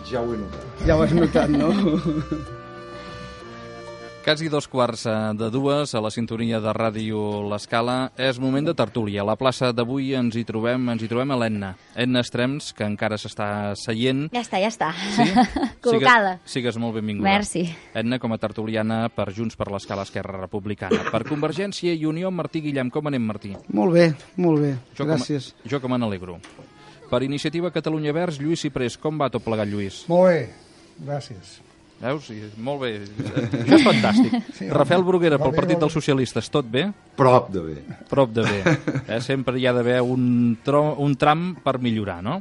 Ja ho he notat. Ja ho has notat, no? Quasi 2:15 a la sintonia de Ràdio L'Escala. És moment de tertúlia. A la plaça d'avui ens hi trobem a l'Edna. Edna Estrems, que encara s'està seient. Ja està. Sí? Col·locada. Sigues molt benvinguda. Merci. Edna, com a tertuliana per Junts per l'Escala Esquerra Republicana. Per Convergència i Unió, Martí Guillem. Com anem, Martí? Molt bé. Gràcies. Jo que me n'alegro. Per Iniciativa Catalunya Verds, Lluís Ciprés. Com va tot plegat, Lluís? Molt bé, gràcies. Veus? Sí, molt bé. Això és fantàstic. Sí, Rafael Bruguera, pel Partit dels Socialistes, tot bé? Prop de bé. Prop de bé. Sempre hi ha d'haver un tram per millorar, no?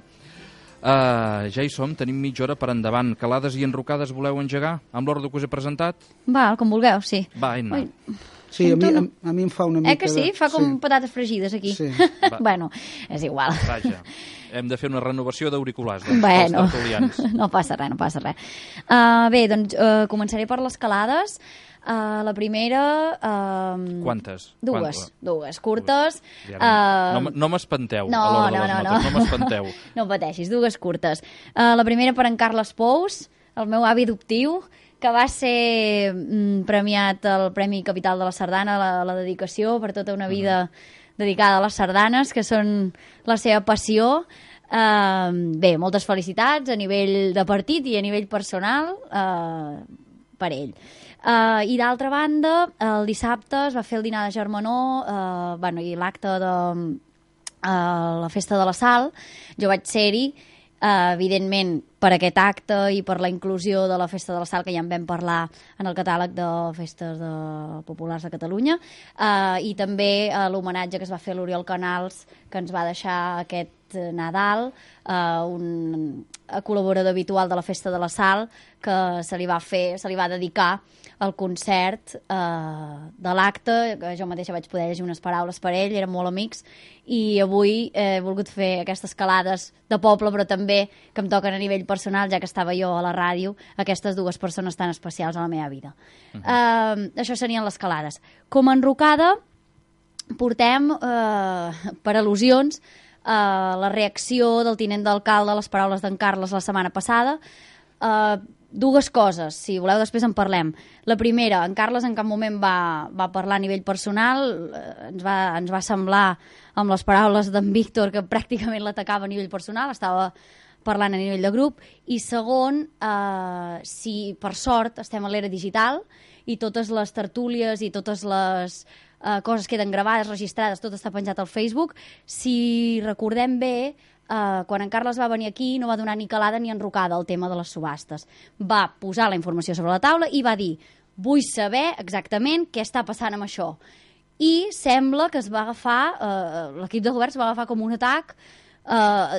Ja hi som, tenim mitja hora per endavant. Calades i enrocades voleu engegar amb l'ordre que us he presentat? Va, com vulgueu, sí. Va, Edna. Sí, a mi em fa una mica... Que sí? Fa com patates fregides aquí. Sí. Bueno, és igual. Vaja, hem de fer una renovació d'auriculars Bueno, dels tertulians. No passa res. Bé, doncs començaré per les calades. La primera... Quantes? Dues curtes. No m'espanteu a l'hora de les notes, no m'espanteu. No pateixis, dues curtes. La primera per en Carles Pous, el meu avi adoptiu, que va ser premiat al Premi Capital de la Sardana, la dedicació per tota una vida dedicada a les sardanes, que són la seva passió. Bé, moltes felicitats a nivell de partit i a nivell personal per ell. I d'altra banda, el dissabte es va fer el dinar de germanor i l'acte de la Festa de la Sal. Jo vaig ser-hi, evidentment per aquest acte i per la inclusió de la Festa de la Sal, que ja en vam parlar en el catàleg de festes populars de Catalunya, i també l'homenatge que es va fer a l'Oriol Canals, que ens va deixar aquest Nadal, un col·laborador habitual de la Festa de la Sal, que se li va dedicar el concert de l'acte, que jo mateixa vaig poder llegir unes paraules per ell, érem molt amics, i avui he volgut fer aquestes calades de poble, però també que em toquen a nivell personal, ja que estava jo a la ràdio, aquestes dues persones tan especials a la meva vida. Això serien les calades. Com a enrocada, portem, per al·lusions, la reacció del tinent d'alcalde a les paraules d'en Carles la setmana passada. Dues coses, si voleu després en parlem. La primera, en Carles en cap moment va parlar a nivell personal, ens va semblar amb les paraules d'en Víctor que pràcticament l'atacava a nivell personal, estava parlant a nivell de grup. I segon, si per sort estem a l'era digital i totes les tertúlies i totes les coses queden gravades, registrades, tot està penjat al Facebook, si recordem bé, quan en Carles va venir aquí no va donar ni calada ni enrocada al tema de les subhastes. Va posar la informació sobre la taula i va dir: vull saber exactament què està passant amb això. I sembla que es va agafar, l'equip de govern es va agafar com un atac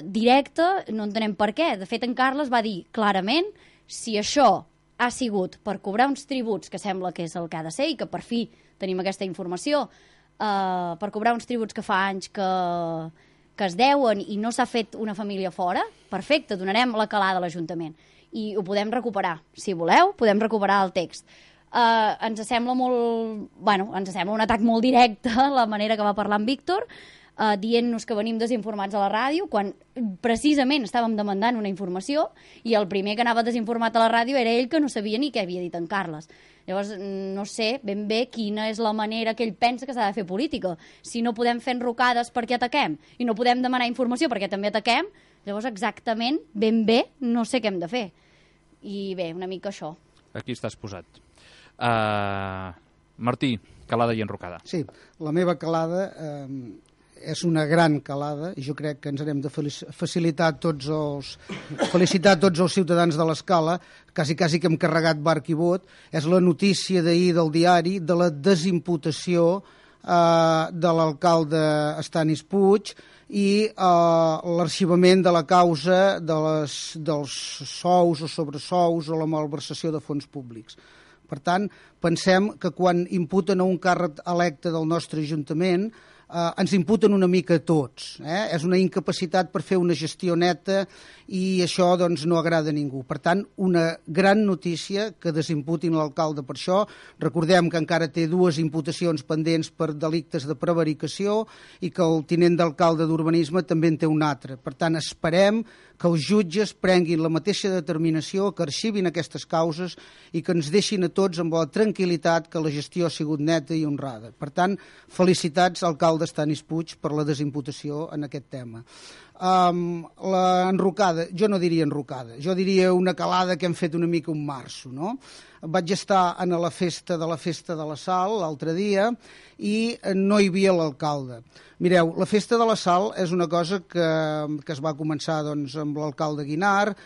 directe, no entenem per què. De fet, en Carles va dir clarament: si això ha sigut per cobrar uns tributs, que sembla que és el que ha de ser, i que per fi tenim aquesta informació, per cobrar uns tributs que fa anys que es deuen i no s'ha fet una família fora, perfecte, donarem la calada a l'Ajuntament. I ho podem recuperar. Si voleu, podem recuperar el text. Ens sembla ens sembla un atac molt directe la manera que va parlar en Víctor, dient-nos que venim desinformats a la ràdio, quan precisament estàvem demandant una informació i el primer que anava desinformat a la ràdio era ell, que no sabia ni què havia dit en Carles. Llavors, no sé ben bé quina és la manera que ell pensa que s'ha de fer política. Si no podem fer enrocades perquè ataquem i no podem demanar informació perquè també ataquem, llavors exactament, ben bé, no sé què hem de fer. I bé, una mica això. Aquí estàs posat. Martí, calada i enrocada. Sí, la meva calada és una gran calada i jo crec que ens hem de felicitar tots els ciutadans de l'Escala, quasi que hem carregat barc i bot. És la notícia d'ahir del diari de la desimputació de l'alcalde Estanis Puig i l'arxivament de la causa dels sous o sobresous o la malversació de fons públics. Per tant, pensem que quan imputen a un càrrec electe del nostre Ajuntament ens imputen una mica a tots. És una incapacitat per fer una gestió neta i això doncs, no agrada a ningú. Per tant, una gran notícia que desimputin l'alcalde per això. Recordem que encara té 2 imputacions pendents per delictes de prevaricació i que el tinent d'alcalde d'Urbanisme també en té un altre. Per tant, esperem que els jutges prenguin la mateixa determinació, que arxivin aquestes causes i que ens deixin a tots amb la tranquil·litat que la gestió ha sigut neta i honrada. Per tant, felicitats, alcalde Stanis Puig, per la desimputació en aquest tema. L'enrocada, jo no diria enrocada, jo diria una calada que hem fet una mica un março, no? Vaig estar a la festa de la Sal l'altre dia i no hi havia l'alcalde. Mireu, la festa de la Sal és una cosa que es va començar doncs, amb l'alcalde Guinart,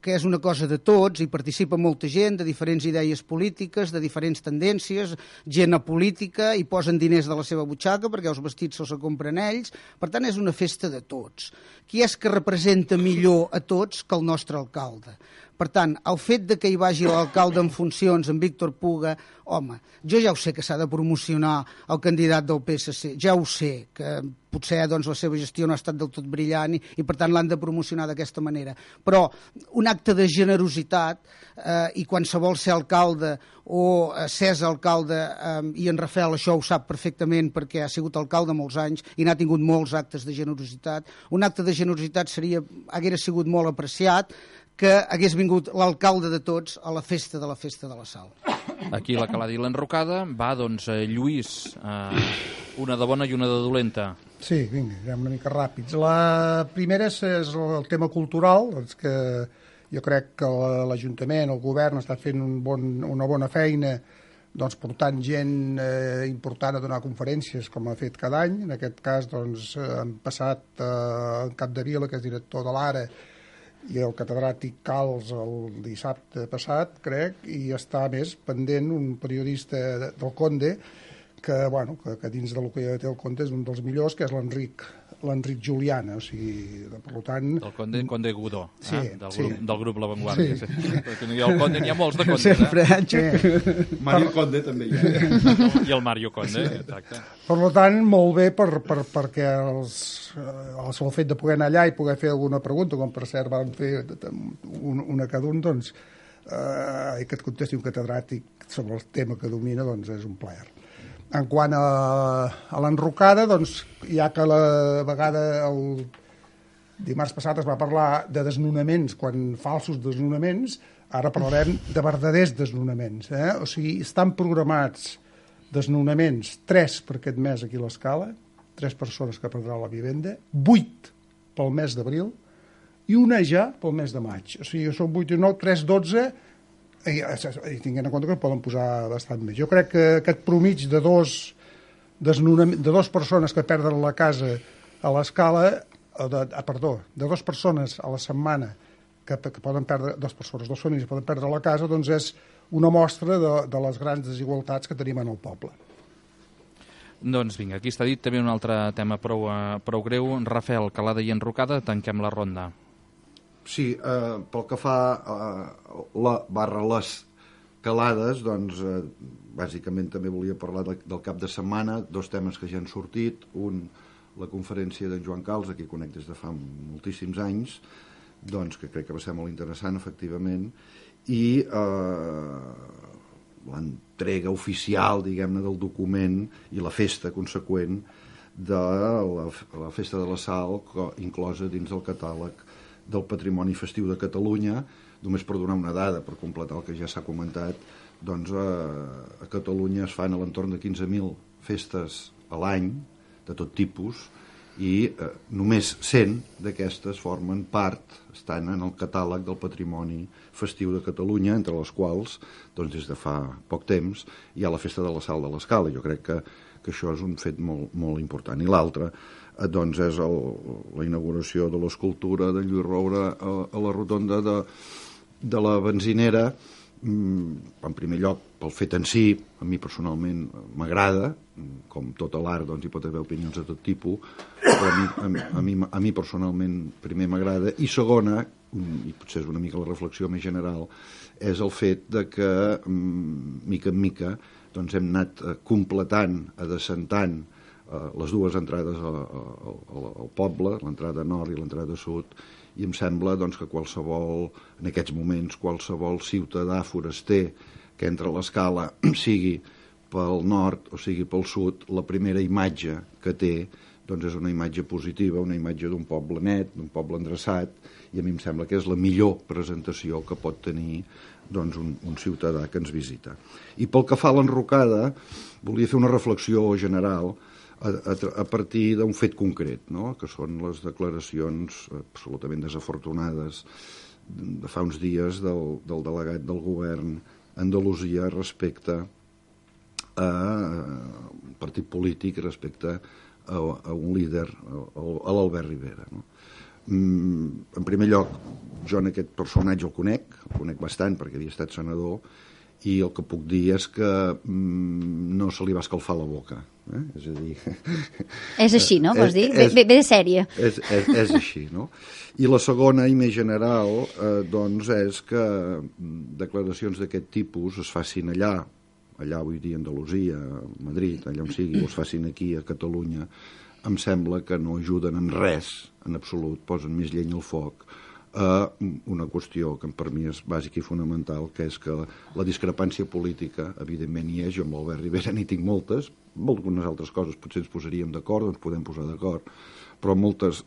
que és una cosa de tots, hi participa molta gent de diferents idees polítiques, de diferents tendències, gent apolítica, i posen diners de la seva butxaca perquè els vestits se'ls compren ells. Per tant, és una festa de tots. Qui és que representa millor a tots que el nostre alcalde? Per tant, el fet de que hi vagi l'alcalde en funcions, en Víctor Puga, home, jo ja ho sé que s'ha de promocionar el candidat del PSC, ja ho sé, que potser doncs, la seva gestió no ha estat del tot brillant i per tant l'han de promocionar d'aquesta manera. Però un acte de generositat i qualsevol ser alcalde o s'és alcalde, i en Rafael això ho sap perfectament perquè ha sigut alcalde molts anys i n'ha tingut molts actes de generositat, un acte de generositat haguera sigut molt apreciat que hagués vingut l'alcalde de tots a la festa de la Sal. Aquí la calada i l'enrocada. Va, doncs, Lluís, una de bona i una de dolenta. Sí, vinga, anem una mica ràpids. La primera és el tema cultural, doncs que jo crec que l'Ajuntament, el govern, està fent una bona feina doncs, portant gent important a donar conferències, com ha fet cada any. En aquest cas, doncs, han passat en Capdevila, que és director de l'Ara, i el catedràtic Cals el dissabte passat, crec, i està més pendent un periodista del Conde que dins del que té el Conde és un dels millors, que és l'Enric Juliana, o sigui, per tant... El Conde Godó, sí, del grup La Vanguardia. Sí. El Conde, n'hi ha molts de Condes, Sempre, sí. Mario Conde també hi ha. I el Mario Conde, exacte. Per tant, molt bé perquè el fet de poder anar allà i poder fer alguna pregunta, com per cert van fer una cada un, doncs, i que et contesti un catedràtic sobre el tema que domina, doncs és un plaer. En quant a l'enrocada, doncs, ja que la vegada el dimarts passat es va parlar de desnonaments, falsos desnonaments, ara parlarem de verdaders desnonaments. O sigui, estan programats desnonaments, 3 per aquest mes aquí a l'Escala, 3 persones que perdran la vivenda, 8 pel mes d'abril i una ja pel mes de maig. O sigui, són 8 i 9, 3, 12... i tinguent en compte que poden posar bastant més. Jo crec que aquest promig de dos persones que perden la casa a l'Escala, de 2 persones a la setmana que poden perdre, 2 famílies poden perdre la casa, doncs és una mostra de les grans desigualtats que tenim en el poble. Doncs vinga, aquí està dit també un altre tema prou greu. Rafael, calada i enrocada, tanquem la ronda. Sí, pel que fa les calades, doncs, bàsicament també volia parlar del cap de setmana, 2 temes que ja han sortit, un, la conferència d'en Joan Cals, a qui conec des de fa moltíssims anys, doncs, que crec que va ser molt interessant, efectivament, i l'entrega oficial, diguem-ne, del document i la festa conseqüent de la Festa de la Sal, inclosa dins del catàleg del Patrimoni Festiu de Catalunya. Només per donar una dada, per completar el que ja s'ha comentat, doncs a Catalunya es fan a l'entorn de 15.000 festes a l'any, de tot tipus, i només 100 d'aquestes formen part, estan en el catàleg del Patrimoni Festiu de Catalunya, entre les quals, doncs des de fa poc temps, hi ha la Festa de la Sal de l'Escala. Jo crec que això és un fet molt, molt important. I l'altre, doncs, és la inauguració de l'escultura de Lluís Roure a la rotonda de la benzinera. En primer lloc, pel fet en si, a mi personalment m'agrada, com tot l'art, doncs hi pot haver opinions de tot tipus, però a mi personalment primer m'agrada, i segona, i potser és una mica la reflexió més general, és el fet de que, mica en mica, doncs hem anat completant, adescentant les dues entrades al poble, l'entrada nord i l'entrada sud, i em sembla doncs, que en aquests moments, qualsevol ciutadà foraster que entra a l'Escala, sigui pel nord o sigui pel sud, la primera imatge que té doncs és una imatge positiva, una imatge d'un poble net, d'un poble endreçat, i a mi em sembla que és la millor presentació que pot tenir doncs, un ciutadà que ens visita. I pel que fa a l'enrocada, volia fer una reflexió general a partir d'un fet concret, no? Que són les declaracions absolutament desafortunades de fa uns dies del delegat del govern a Andalusia respecte a un partit polític, respecte a un líder, a l'Albert Rivera, no? En primer lloc, jo en aquest personatge el conec bastant perquè havia estat senador, i el que puc dir és que no se li va escalfar la boca. És a dir... És així, no? Vols dir? Ve de sèrie. És així, no? I la segona, i més general, doncs és que declaracions d'aquest tipus es facin allà vull dir, a Andalusia, a Madrid, allà on sigui, o es facin aquí, a Catalunya, em sembla que no ajuden en res, en absolut, posen més llenya al foc, a una qüestió que per mi és bàsica i fonamental, que és que la discrepància política, evidentment hi és, jo amb l'Albert Rivera n'hi tinc moltes, algunes altres coses potser ens posaríem d'acord, ens podem posar d'acord, però moltes,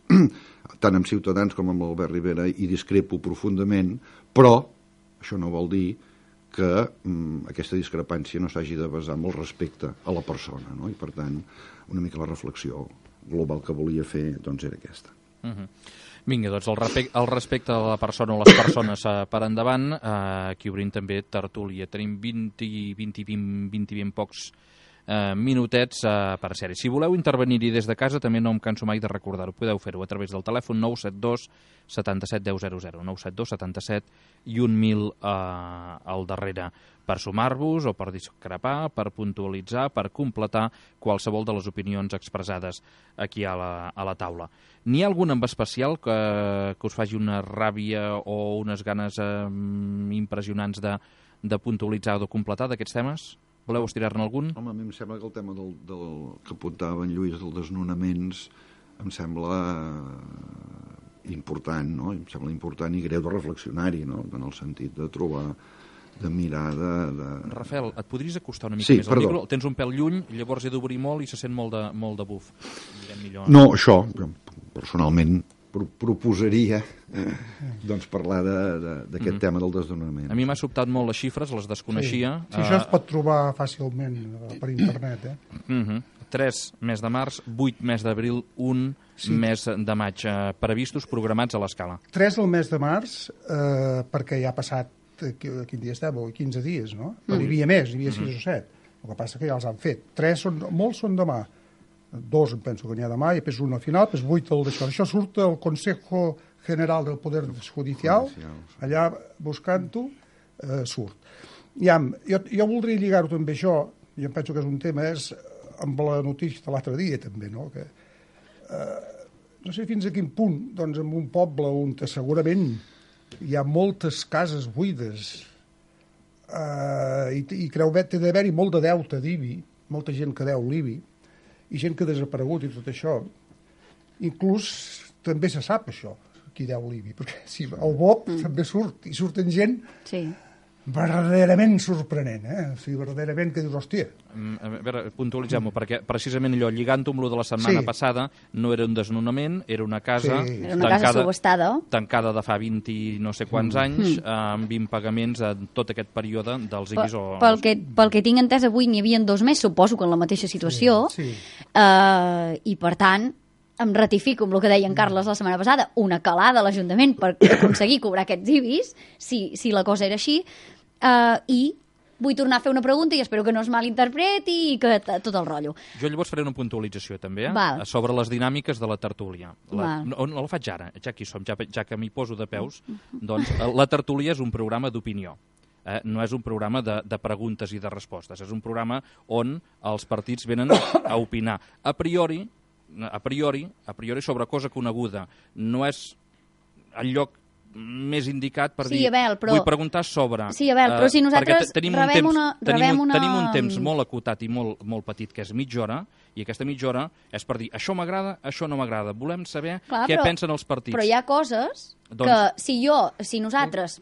tant amb Ciutadans com amb l'Albert Rivera, hi discrepo profundament, però això no vol dir que aquesta discrepància no s'hagi de basar en el respecte a la persona, no? I per tant, una mica la reflexió global que volia fer doncs era aquesta. Vinga, doncs el respecte a la persona o les persones per endavant, aquí obrim també tertúlia. Tenim 20 pocs minutets per sèrie. Si voleu intervenir-hi des de casa, també no em canso mai de recordar-ho. Podeu fer-ho a través del telèfon 972 77 10 00, 972 77 i 1000 al darrere, per sumar-vos o per discrepar, per puntualitzar, per completar qualsevol de les opinions expressades aquí a la taula. N'hi ha algun en especial que us faci una ràbia o unes ganes impressionants de puntualitzar o de completar d'aquests temes? Voleu estirar-ne algun? Home, a mi em sembla que el tema que apuntava en Lluís, dels desnonaments, em sembla important, no? Em sembla important i greu de reflexionar-hi, no? En el sentit de trobar, de mirar, Rafael, et podries acostar una mica més al micro? El tens un pèl lluny, llavors he d'obrir molt i se sent molt de buf. No, això, personalment, proposaria doncs parlar d'aquest tema del desnonament. A mi m'ha sobtat molt les xifres, les desconeixia. Sí, això es pot trobar fàcilment per internet. 3 mes de març, 8 mes d'abril, 1 mes de maig previstos, programats a l'Escala. 3 del mes de març, perquè ja ha passat, quin dia estem? 15 dies, no? Però hi havia més, hi havia 6 o 7. El que passa que ja els han fet. 3 molts són demà. 2 em penso que n'hi ha demà, i després 1 al final, després 8 d'això. Això surt del Consejo General del Poder Judicial, allà buscant-ho, surt. Jo voldria lligar-ho també això, i em penso que és un tema, és amb la notícia de l'altre dia també, no? Que, no sé fins a quin punt, doncs en un poble on segurament hi ha moltes cases buides i creu que té d'haver-hi molt de deute d'IBI, molta gent que deu l'IBI, i gent que ha desaparegut i tot això, inclús també se sap això, qui deu l'IBI, perquè si el BOP també surt, i surten gent verdaderament sorprenent, o sigui, verdaderament que dius, hòstia. A veure, puntualitzem-ho, perquè precisament allò, lligant-ho amb lo de la setmana passada, no era un desnonament, era una casa era una casa subhastada, tancada de fa 20 i no sé quants anys, amb 20 pagaments en tot aquest període dels IBIs. Pel que tinc entès, avui n'hi havia 2 més, suposo que en la mateixa situació, i per tant em ratifico amb el que deia en Carles la setmana passada, una calada a l'Ajuntament per aconseguir cobrar aquests IBIs, si la cosa era així, i vull tornar a fer una pregunta i espero que no es malinterpreti i que tot el rotllo. Jo llavors faré una puntualització també, sobre les dinàmiques de la tertúlia. No la faig ara, ja que hi som, ja que m'hi poso de peus, doncs la tertúlia és un programa d'opinió. No és un programa de preguntes i de respostes, és un programa on els partits venen a opinar. A priori, sobre cosa coneguda, no és el lloc més indicat per dir, vull preguntar sobre... Sí, Abel, però si nosaltres tenim un temps molt acotat i molt petit, que és mitja hora, I aquesta mitja hora és per dir això m'agrada, això no m'agrada. Volem saber Clar, què pensen els partits. Però hi ha coses que si nosaltres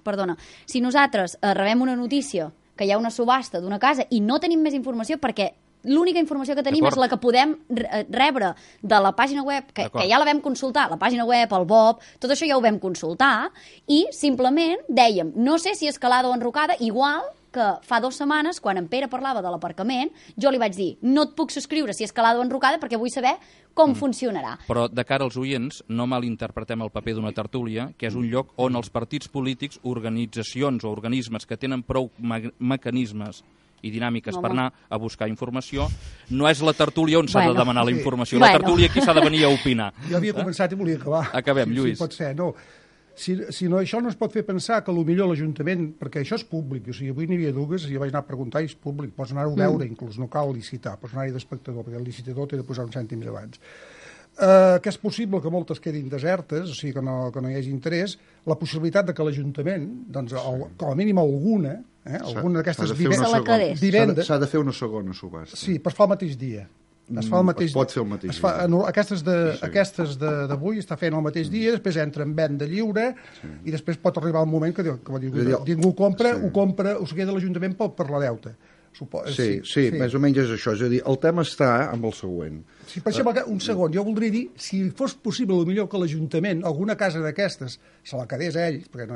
rebem una notícia que hi ha una subhasta d'una casa i no tenim més informació perquè l'única informació que tenim és la que podem rebre de la pàgina web, que ja la vam consultar, la pàgina web, el BOP, tot això ja ho vam consultar, i simplement dèiem, no sé si escalada o enrocada, igual que fa 2 setmanes, quan en Pere parlava de l'aparcament, jo li vaig dir, no et puc subscriure si escalada o enrocada perquè vull saber com funcionarà. Però de cara als oients, no malinterpretem el paper d'una tertúlia, que és un lloc on els partits polítics, organitzacions o organismes que tenen prou mecanismes i dinàmiques per anar a buscar informació, no és la tertúlia on s'ha de demanar la informació. La tertúlia aquí s'ha de venir a opinar. Jo havia començat i volia acabar. Acabem, Lluís. Si pot ser, no. Si no, això no es pot fer pensar que potser l'Ajuntament, perquè això és públic, o sigui, avui n'hi havia dues, i jo vaig anar a preguntar i és públic, pots anar-ho a veure, inclús no cal licitar, pots anar-hi d'espectador, perquè el licitador té de posar uns cèntims abans. Que és possible que moltes quedin desertes, o sigui, que no hi hagi interès, la possibilitat de que l'Ajuntament, doncs, com a mínim alguna d'aquestes vivendes... S'ha de fer una segona subhasta. Sí, però es fa el mateix dia. Es pot fer el mateix dia. Aquestes d'avui està fent el mateix dia, després entra en venda lliure i després pot arribar el moment que ningú compra, ho queda l'Ajuntament per la deuta. Sí, més o menys és això. És a dir, el tema està amb el següent. Sí, per exemple, un segon, jo voldria dir, si fos possible, millor que l'Ajuntament, alguna casa d'aquestes, se la quedés a ells, perquè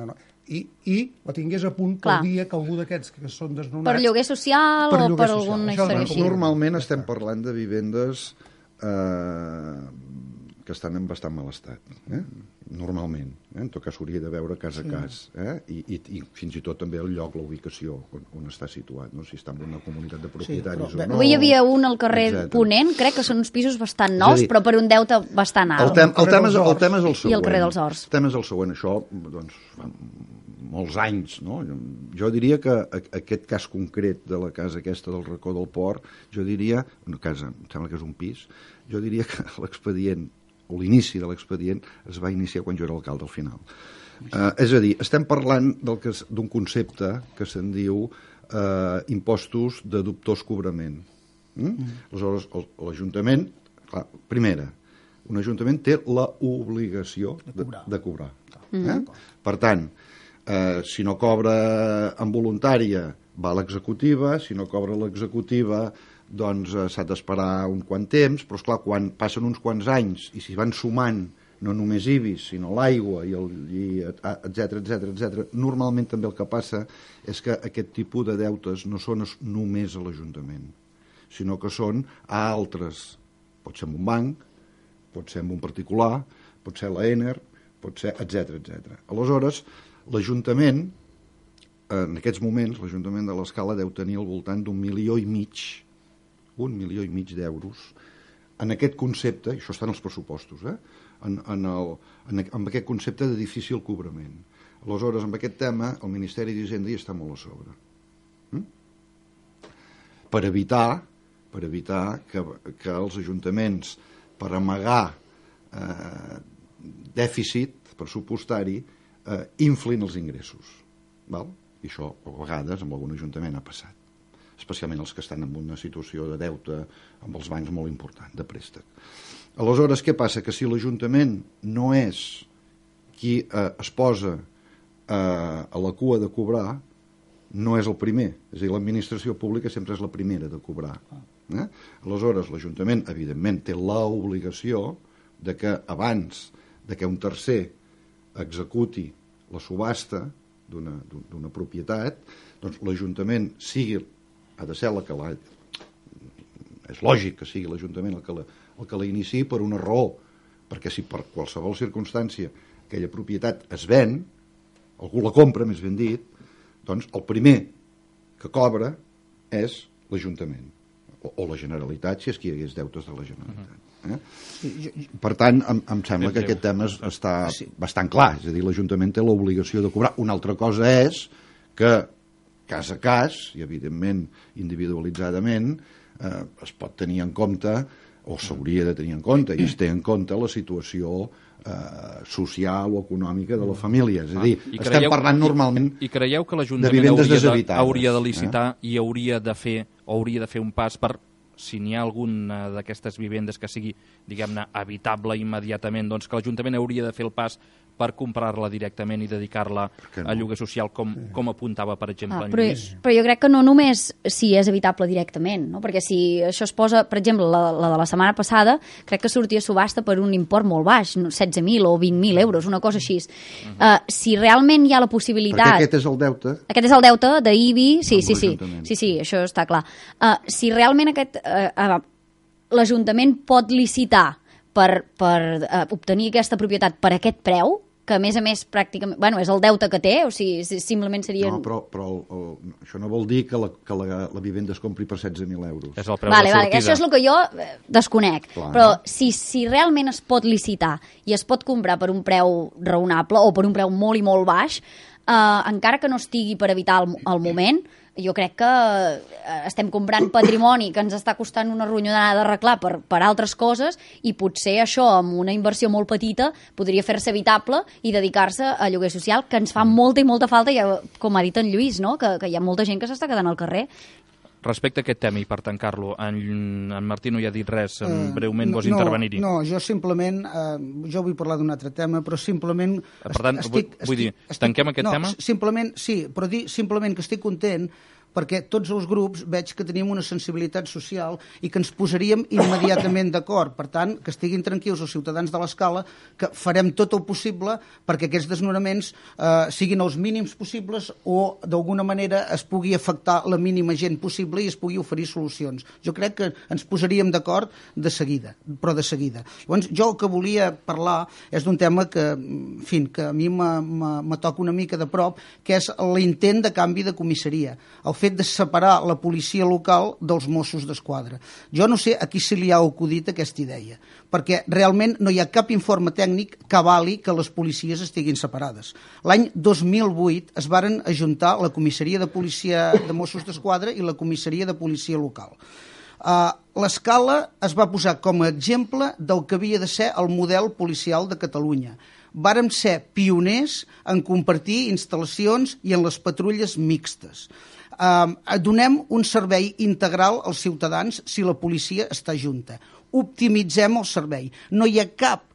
i la tingués a punt pel dia que algú d'aquests que són desnonats... Per lloguer social o per alguna història així. Normalment estem parlant de vivendes que estan en bastant mal estat, normalment. En tot cas s'hauria de veure cas a cas, i fins i tot també el lloc, la ubicació on està situat, no? Si està en una comunitat de propietaris o no. Avui hi havia un al carrer Ponent, crec que són uns pisos bastant nous, però per un deute bastant alt. El tema és el següent. I el carrer dels Horts. El tema és el següent, això, doncs, fa molts anys, no? Jo diria que aquest cas concret de la casa aquesta del racó del Port, jo diria, una casa, em sembla que és un pis, jo diria que l'expedient o l'inici de l'expedient es va iniciar quan jo era alcalde al final. És a dir, estem parlant d'un concepte que se'n diu impostos de dubtós cobrament. Aleshores, l'Ajuntament, clar, primera, un Ajuntament té l'obligació de cobrar. Per tant, si no cobra en voluntària, va a l'executiva, si no cobra l'executiva, doncs s'ha d'esperar un quant temps, però esclar, quan passen uns quants anys i s'hi van sumant no només IBIs, sinó l'aigua, etc., normalment també el que passa és que aquest tipus de deutes no són només a l'Ajuntament, sinó que són a altres. Pot ser en un banc, pot ser en un particular, pot ser l'ENER, pot ser, etc. Aleshores, l'Ajuntament, en aquests moments, l'Ajuntament de l'Escala deu tenir al voltant d'1,5 milió d'euros en aquest concepte, i això està en els pressupostos, en aquest concepte de difícil cobrament. Aleshores, amb aquest tema, el Ministeri d'Hisenda hi està molt a sobre. Per evitar que els ajuntaments, per amagar dèficit pressupostari, inflin els ingressos. I això, a vegades, amb algun ajuntament ha passat, especialment els que estan en una situació de deute amb els bancs molt important, de préstec. Aleshores, què passa? Que si l'Ajuntament no és qui es posa a la cua de cobrar, no és el primer. És a dir, l'administració pública sempre és la primera de cobrar. Aleshores, l'Ajuntament, evidentment, té l'obligació de que abans de que un tercer executi la subhasta d'una propietat, doncs l'Ajuntament ha de ser és lògic que sigui l'Ajuntament el que la iniciï per una raó, perquè si per qualsevol circumstància aquella propietat es ven, algú la compra, més ben dit, doncs el primer que cobra és l'Ajuntament, o la Generalitat, si és que hi hagués deutes de la Generalitat. Per tant, em sembla que aquest tema està bastant clar, és a dir, l'Ajuntament té l'obligació de cobrar. Una altra cosa és que cas a cas, i evidentment individualitzadament, es pot tenir en compte, o s'hauria de tenir en compte, i es té en compte la situació social o econòmica de la família. És a dir, estem parlant normalment I creieu que de vivendes deshabitades. hauria de licitar i hauria de fer un pas per si n'hi ha alguna d'aquestes vivendes que sigui, diguem-ne, habitable immediatament, doncs que l'Ajuntament hauria de fer el pas per comprar-la directament i dedicar-la a lloguer social, com apuntava, per exemple, en Lluís. Però jo crec que no només si és habitable directament, no? Perquè si això es posa, per exemple, la de la setmana passada, crec que sortia a subhasta per un import molt baix, 16.000 o 20.000 euros, una cosa així. Si realment hi ha la possibilitat... Perquè aquest és el deute. Aquest és el deute d'IBI, sí, això està clar. Si realment l'Ajuntament pot licitar per obtenir aquesta propietat per aquest preu, que a més pràcticament, bueno, és el deute que té, o sigui, simplement seria... No, però això no vol dir que la vivenda es compri per 16.000 euros. És el preu de sortida. Això és el que jo desconec. Clar. Però si realment es pot licitar i es pot comprar per un preu raonable o per un preu molt i molt baix, encara que no estigui per evitar el moment, jo crec que estem comprant patrimoni que ens està costant una ronyonada d'arreglar per altres coses, i potser això, amb una inversió molt petita, podria fer-se evitable i dedicar-se a lloguer social, que ens fa molta i molta falta, com ha dit en Lluís, no? que hi ha molta gent que s'està quedant al carrer. Respecte a aquest tema, i per tancar-lo, en Martí no hi ha dit res, breument vols intervenir-hi? No, jo simplement, jo vull parlar d'un altre tema, però simplement... Per tant, vull dir, tanquem aquest tema? Simplement, sí, però dir simplement que estic content perquè tots els grups veig que tenim una sensibilitat social i que ens posaríem immediatament d'acord. Per tant, que estiguin tranquils els ciutadans de l'Escala, que farem tot el possible perquè aquests desnonaments siguin els mínims possibles o d'alguna manera es pugui afectar la mínima gent possible i es pugui oferir solucions. Jo crec que ens posaríem d'acord de seguida, però de seguida. Llavors, jo el que volia parlar és d'un tema que, en fi, que a mi me toca una mica de prop, que és l'intent de canvi de comissaria. El fet de separar la policia local dels Mossos d'Esquadra. Jo no sé a qui se li ha acudit aquesta idea, perquè realment no hi ha cap informe tècnic que avali que les policies estiguin separades. L'any 2008 es varen ajuntar la comissaria de policia de Mossos d'Esquadra i la comissaria de policia local. L'Escala es va posar com a exemple del que havia de ser el model policial de Catalunya. Vàrem ser pioners en compartir instal·lacions i en les patrulles mixtes. Donem un servei integral als ciutadans si la policia està junta. Optimitzem el servei. No hi ha cap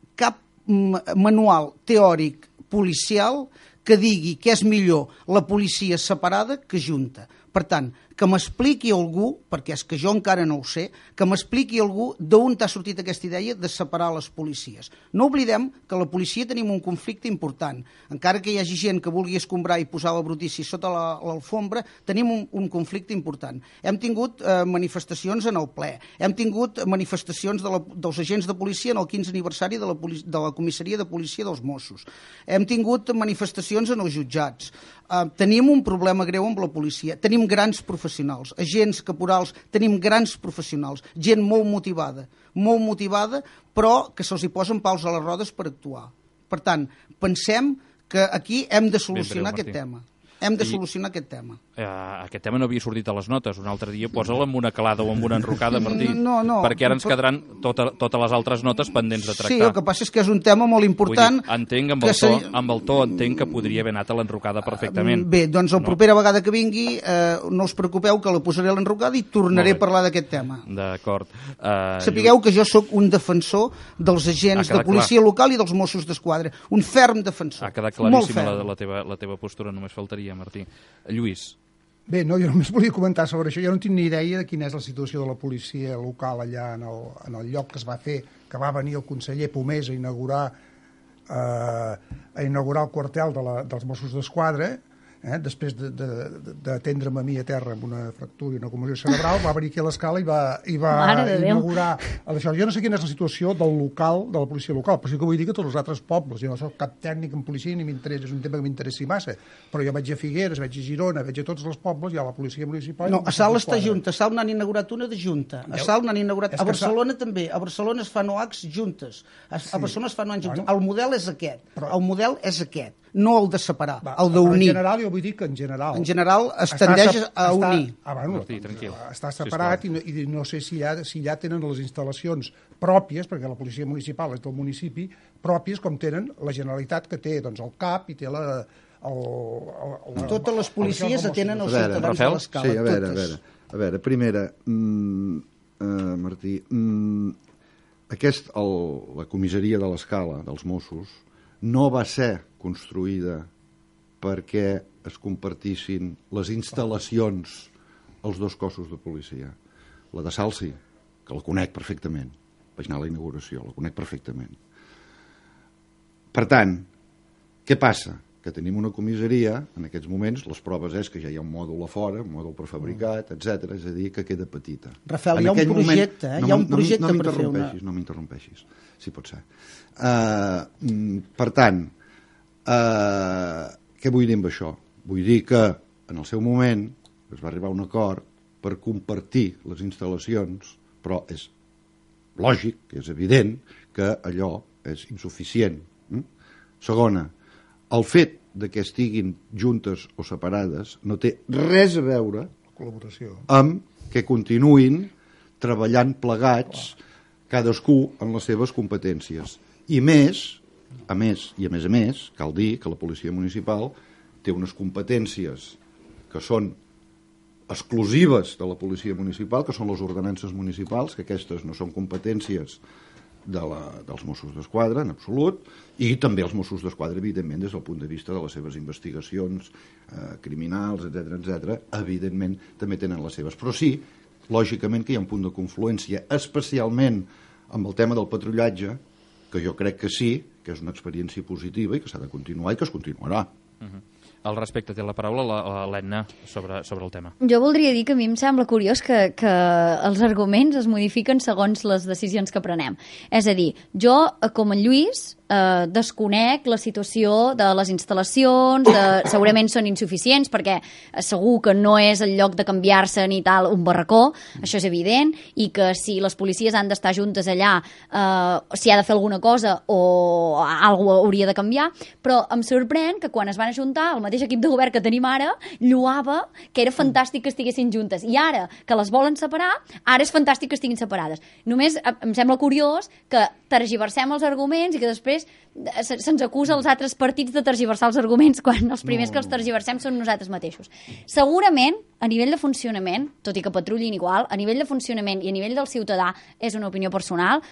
manual teòric policial que digui que és millor la policia separada que junta. Per tant, que m'expliqui algú, perquè és que jo encara no ho sé, que m'expliqui algú d'on t'ha sortit aquesta idea de separar les policies. No oblidem que la policia tenim un conflicte important. Encara que hi hagi gent que vulgui escombrar i posar la brutícia sota l'alfombra, tenim un conflicte important. Hem tingut manifestacions en el ple, hem tingut manifestacions dels agents de policia en el 15 aniversari de la comissaria de policia dels Mossos. Hem tingut manifestacions en els jutjats. Tenim un problema greu amb la policia. Tenim grans professionals, agents caporals, tenim grans professionals, gent molt motivada, però que se'ls hi posen pals a les rodes per actuar. Per tant, pensem que aquí hem de solucionar aquest tema. Aquest tema no havia sortit a les notes. Un altre dia posa'l amb una calada o amb una enrocada, Martí, perquè ara ens quedaran totes les altres notes pendents de tractar. Sí, el que passa és que és un tema molt important. Vull dir, entenc, amb el to entenc que podria haver anat a l'enrocada perfectament. Bé, doncs la propera vegada que vingui no us preocupeu que la posaré a l'enrocada i tornaré a parlar d'aquest tema. D'acord. Sapigueu que jo sóc un defensor dels agents de policia local i dels Mossos d'Esquadra. Un ferm defensor. Ha quedat claríssima la teva postura, només faltaria, Martí. Lluís. Bé, no, jo només volia comentar sobre això. Jo no tinc ni idea de quina és la situació de la policia local allà en el lloc que es va fer, que va venir el conseller Pomés a inaugurar el quartel dels Mossos d'Esquadra. Després d'atendre'm a mi a terra amb una fractura i una commoció cerebral, va venir aquí a l'Escala i va inaugurar això. Jo no sé quina és la situació del local, de la policia local, però sí que vull dir que tots els altres pobles, jo no soc cap tècnic en policia ni m'interessa, és un tema que m'interessi massa, però jo vaig a Figueres, vaig a Girona, vaig a tots els pobles, hi ha la policia municipal... No, a Salt està junta, a Salt n'han inaugurat una de junta, a Salt n'han inaugurat... A Barcelona també, a Barcelona es fan OACs juntes, a Barcelona es fan OACs juntes. El model és aquest, no el de separar, el d'unir. En general, jo vull dir que en general... En general es tendeix a unir. Està separat i no sé si ja tenen les instal·lacions pròpies, perquè la policia municipal és del municipi, pròpies com tenen la Generalitat, que té el CAP i té totes les policies atenen els ciutadans de l'Escala. Sí, a veure, primera, Martí, la comissaria de l'Escala dels Mossos no va ser construïda perquè es compartissin les instal·lacions als dos cossos de policia. La de Salt sí, que la conec perfectament. Vaig anar a la inauguració, la conec perfectament. Per tant, què passa? Que tenim una comissaria, en aquests moments, les proves és que ja hi ha un mòdul a fora, un mòdul prefabricat, etc. És a dir, que queda petita. Rafael, hi ha un projecte, hi ha un projecte per fer una... No m'interrompeixis, si pot ser. Per tant, què vull dir amb això? Vull dir que, en el seu moment, es va arribar a un acord per compartir les instal·lacions, però és lògic, és evident, que allò és insuficient. Segona, el fet de que estiguin juntes o separades no té res a veure amb que continuïn treballant plegats, cadascú en les seves competències. I a més, cal dir que la policia municipal té unes competències que són exclusives de la policia municipal, que són les ordenances municipals, que aquestes no són competències dels Mossos d'Esquadra, en absolut, i també els Mossos d'Esquadra, evidentment, des del punt de vista de les seves investigacions criminals, etc., evidentment, també tenen les seves. Però sí, lògicament, que hi ha un punt de confluència, especialment amb el tema del patrullatge, que jo crec que sí, que és una experiència positiva i que s'ha de continuar i que es continuarà. Al respecte té la paraula l'Edna sobre el tema. Jo voldria dir que a mi em sembla curiós que els arguments es modifiquen segons les decisions que prenem. És a dir, jo, com en Lluís, desconec la situació de les instal·lacions, segurament són insuficients perquè segur que no és el lloc de canviar-se ni tal un barracó, això és evident, i que si les policies han d'estar juntes allà, si ha de fer alguna cosa o alguna cosa hauria de canviar, però em sorprèn que quan es van ajuntar el mateix equip de govern que tenim ara lloava que era fantàstic que estiguessin juntes, i ara que les volen separar, ara és fantàstic que estiguin separades. Només em sembla curiós que tergiversem els arguments i que després se'ns acusa als altres partits de tergiversar els arguments quan els primers que els tergiversem són nosaltres mateixos. Segurament, a nivell de funcionament, tot i que patrullin igual, a nivell de funcionament i a nivell del ciutadà, és una opinió personal,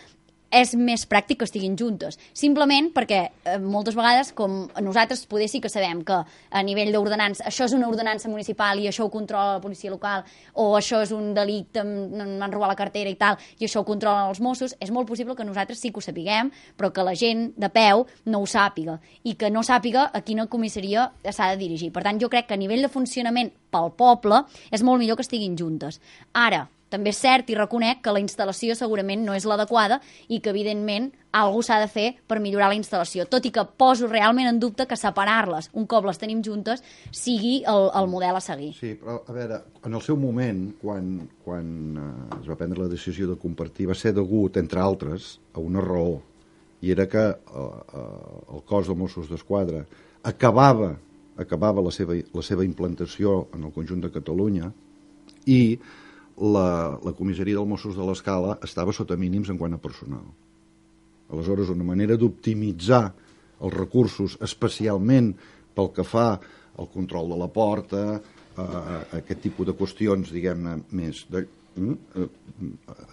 és més pràctic que estiguin juntes. Simplement perquè moltes vegades, com nosaltres poder sí que sabem que a nivell d'ordenança, això és una ordenança municipal i això ho controla la policia local, o això és un delicte, m'han robat la cartera i tal, i això ho controlen els Mossos, és molt possible que nosaltres sí que ho sapiguem, però que la gent de peu no ho sàpiga, i que no sàpiga a quina comissaria s'ha de dirigir. Per tant, jo crec que a nivell de funcionament pel poble és molt millor que estiguin juntes. Ara, també és cert i reconec que la instal·lació segurament no és l'adequada i que, evidentment, alguna cosa s'ha de fer per millorar la instal·lació, tot i que poso realment en dubte que separar-les, un cop les tenim juntes, sigui el model a seguir. Sí, però, a veure, en el seu moment, quan es va prendre la decisió de compartir, va ser degut, entre altres, a una raó, i era que el cos de Mossos d'Esquadra acabava la seva implantació en el conjunt de Catalunya i la comissaria dels Mossos de l'Escala estava sota mínims en quant a personal. Aleshores, una manera d'optimitzar els recursos, especialment pel que fa al control de la porta, aquest tipus de qüestions, diguem-ne, més...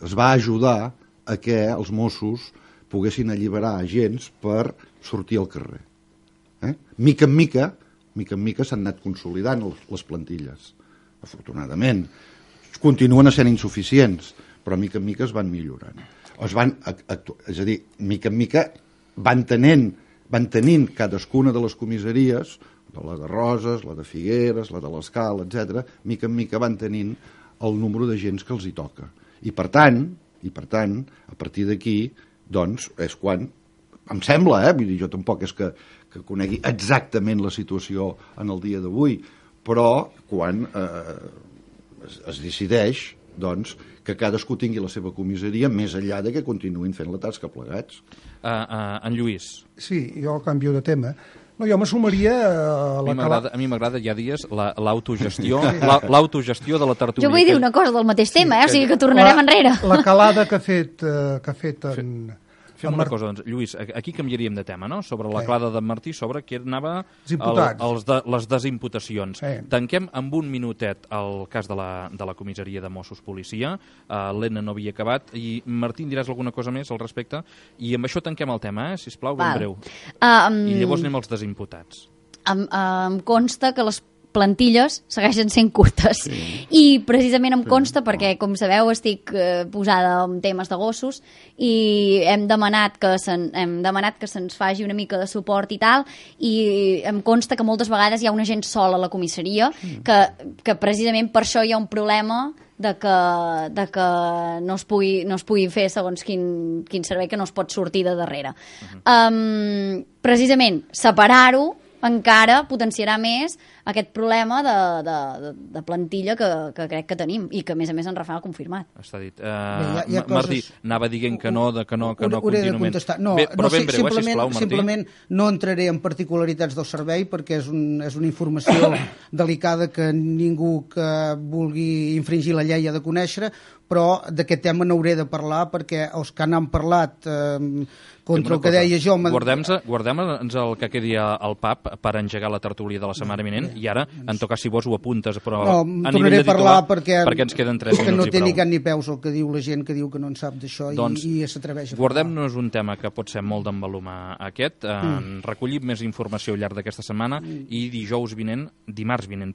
es va ajudar a que els Mossos poguessin alliberar agents per sortir al carrer. Mica en mica s'han anat consolidant les plantilles, afortunadament. Continuen sent insuficients, però mica en mica es van millorant. És a dir, mica en mica van tenint cadascuna de les comissaries, la de Roses, la de Figueres, la de l'Escala, etc., mica en mica van tenint el número de gens que els hi toca. I per tant, a partir d'aquí, doncs, és quan, em sembla, vull dir, jo tampoc és que conegui exactament la situació en el dia d'avui, però quan es decideix, doncs, que cadascú tingui la seva comissaria més enllà de que continuïn fent la tasca plegats. En Lluís. Sí, jo canvio de tema. No, jo m'assumaria a mi m'agrada ja dies l'autogestió de la tertúlia. Jo vull dir una cosa del mateix tema, o sigui que tornarem enrere. La calada que ha fet Fem una cosa, doncs, Lluís, aquí canviaríem de tema, no? Sobre la clada d'en Martí, sobre què anava les desimputacions. Tanquem amb un minutet el cas de la comissaria de Mossos Policia. L'Enna no havia acabat. I, Martí, em diràs alguna cosa més al respecte? I amb això tanquem el tema, sisplau, ben breu. I llavors anem als desimputats. Em consta que les plantilles segueixen sent curtes i precisament em consta perquè, com sabeu, estic posada en temes de gossos i hem demanat que se'ns faci una mica de suport i tal, i em consta que moltes vegades hi ha una gent sola a la comissaria que precisament per això hi ha un problema de que no es pugui fer segons quin servei, que no es pot sortir de darrere. Precisament separar-ho encara potenciarà més aquest problema de plantilla que crec que tenim i que, a més en Rafael ha confirmat. Està dit. Martí, anava dient que no contínuament. Però ben breu, sisplau, Martí. Simplement no entraré en particularitats del servei perquè és una informació delicada que ningú que vulgui infringir la llei ha de conèixer, però d'aquest tema n'hauré de parlar perquè els que n'han parlat contra el que deia jo... Guardem-nos el que quedi al pub per engegar la tertúlia de la setmana vinent i ara, en tot cas, si vols ho apuntes, però a nivell de titular, perquè ens queden 3 minuts i prou. No té ni cap ni peus el que diu la gent que diu que no en sap d'això i s'atreveix a parlar. Guardem-nos un tema que pot ser molt d'envalumar aquest. Recollim més informació al llarg d'aquesta setmana i dimarts vinent,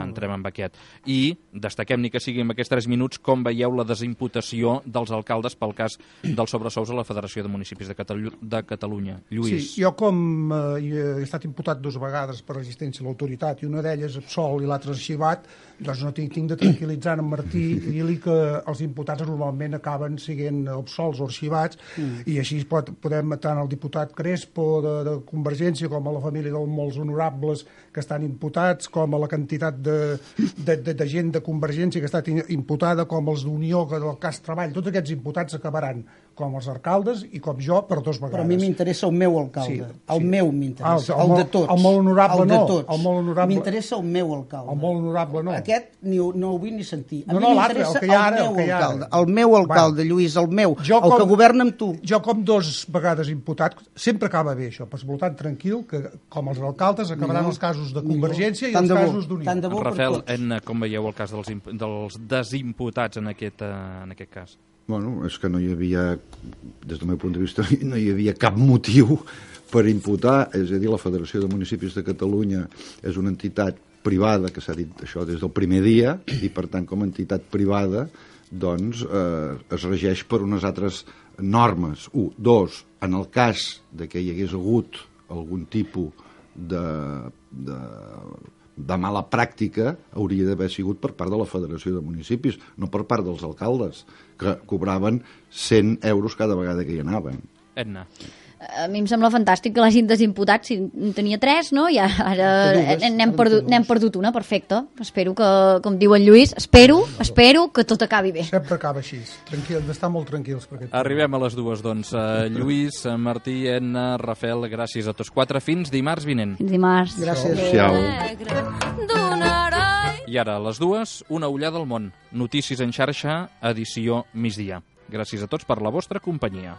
entrem amb aquest. I destaquem, ni que sigui en aquests 3 minuts, com veieu la desimputació dels alcaldes pel cas dels sobresous a la Federació de Municipis de Catalunya. Lluís. Sí, jo com he estat imputat 2 vegades per resistència a l'autoritat i una d'elles absolt i l'altra arxivat, doncs no tinc de tranquil·litzar en Martí i dir-li que els imputats normalment acaben sent absolts o arxivats i així podem tant el diputat Crespo de Convergència com a la família dels molts honorables que estan imputats, com a la quantitat de gent de Convergència que ha estat imputada, com els d'Unió, que del cas Treball, tots aquests imputats acabaran com els alcaldes i com jo per 2 vegades. Però a mi m'interessa el meu alcalde. El meu m'interessa. El de tots. El molt honorable no. M'interessa el meu alcalde. El molt honorable no. Aquest no ho vull ni sentir. A mi l'altre, el que hi ha ara. El meu alcalde, Lluís, el meu. El que governa amb tu. Jo com 2 vegades imputat, sempre acaba bé això. Per votant tranquil, que com els alcaldes acabaran els casos de Convergència i els casos d'Unió. Rafael, com veieu el cas dels desimputats en aquest cas? Bueno, és que no hi havia, des del meu punt de vista, no hi havia cap motiu per imputar, és a dir, la Federació de Municipis de Catalunya és una entitat privada, que s'ha dit això des del primer dia, i per tant, com a entitat privada, doncs es regeix per unes altres normes. 1. 2. En el cas de que hi hagués hagut algun tipus de mala pràctica hauria d'haver sigut per part de la Federació de Municipis, no per part dels alcaldes, que cobraven 100 euros cada vegada que hi anaven. Edna. A mi em sembla fantàstic que l'hagin desimputat, si en tenia 3, no? I ara n'hem perdut una, perfecte. Espero que, com diu en Lluís, espero que tot acabi bé. Sempre acaba així, tranquil, d'estar molt tranquils. Arribem a les 2, doncs. Lluís, Martí, Edna, Rafael, gràcies a tots 4. Fins dimarts vinent. Fins dimarts. Gràcies. I ara, a les 2, una ullada al món. Notícies en xarxa, edició migdia. Gràcies a tots per la vostra companyia.